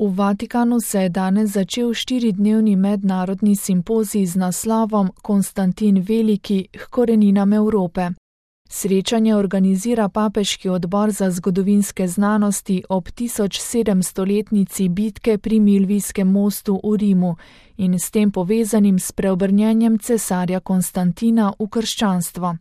V Vatikanu se je danes začel 4-dnevni mednarodni simpozij z naslovom Konstantin Veliki k koreninam Evrope. Srečanje organizira Papeški odbor za zgodovinske znanosti ob 1700-letnici bitke pri Milvijskem mostu v Rimu in s tem povezanim s preobrnjenjem cesarja Konstantina v krščanstvo.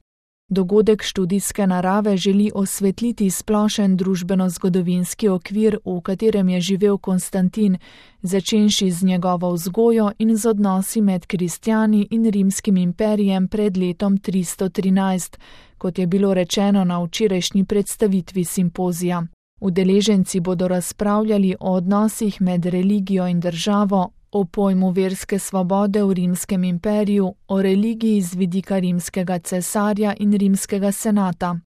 Dogodek študijske narave želi osvetliti splošen družbeno-zgodovinski okvir, v katerem je živel Konstantin, začenši z njegovo vzgojo in z odnosi med kristjani in rimskim imperijem pred letom 313, kot je bilo rečeno na včerajšnji predstavitvi simpozija. Udeleženci bodo razpravljali o odnosih med religijo in državo, o pojmu verske svobode v rimskem imperiju, o religiji z vidika rimskega cesarja in rimskega senata.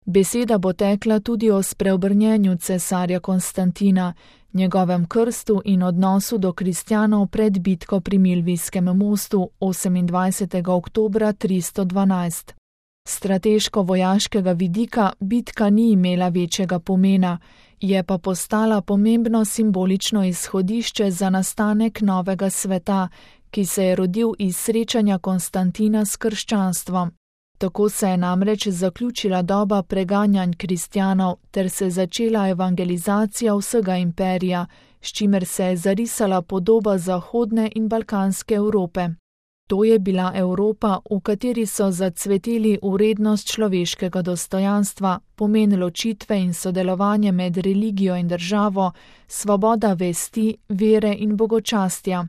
Beseda bo tekla tudi o spreobrnjenju cesarja Konstantina, njegovem krstu in odnosu do kristjanov pred bitko pri Milvijskem mostu 28. oktobra 312. Strateško-vojaškega vidika bitka ni imela večjega pomena, je pa postala pomembno simbolično izhodišče za nastanek novega sveta, ki se je rodil iz srečanja Konstantina s krščanstvom. Tako se je namreč zaključila doba preganjanj kristjanov ter se začela evangelizacija vsega imperija, s čimer se je zarisala podoba zahodne in balkanske Evrope. To je bila Evropa, v kateri so zacveteli vrednost človeškega dostojanstva, pomen ločitve in sodelovanje med religijo in državo, svoboda vesti, vere in bogočastja.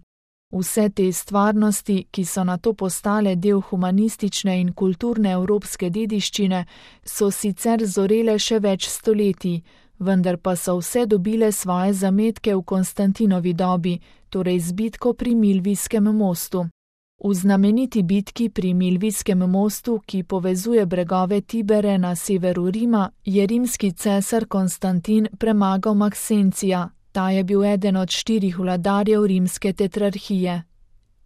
Vse te stvarnosti, ki so nato postale del humanistične in kulturne evropske dediščine, so sicer zorele še več stoletij, vendar pa so vse dobile svoje zametke v Konstantinovi dobi, torej z bitko pri Milvijskem mostu. V znameniti bitki pri Milvijskem mostu, ki povezuje bregove Tibere na severu Rima, je rimski cesar Konstantin premagal Maksencija. Ta je bil eden od 4 vladarjev rimske tetrarhije.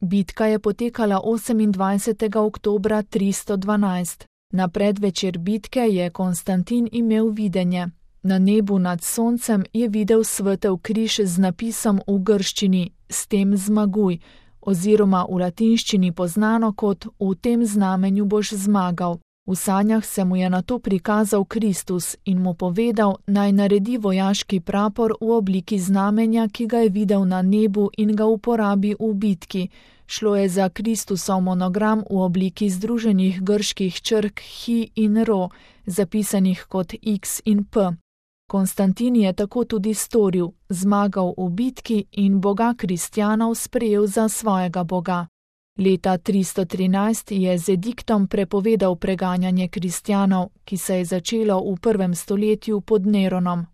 Bitka je potekala 28. oktobra 312. Na predvečer bitke je Konstantin imel videnje. Na nebu nad soncem je videl svetel križ z napisom v grščini "S tem zmaguj", oziroma v latinščini poznano kot "V tem znamenju boš zmagal". V sanjah se mu je nato prikazal Kristus in mu povedal, naj naredi vojaški prapor v obliki znamenja, ki ga je videl na nebu in ga uporabi v bitki. Šlo je za Kristusov monogram v obliki združenih grških črk Hi in Ro, zapisanih kot X in P. Konstantin je tako tudi storil, zmagal v bitki in boga kristjanov sprejel za svojega boga. Leta 313 je z ediktom prepovedal preganjanje kristjanov, ki se je začelo v 1. stoletju pod Neronom.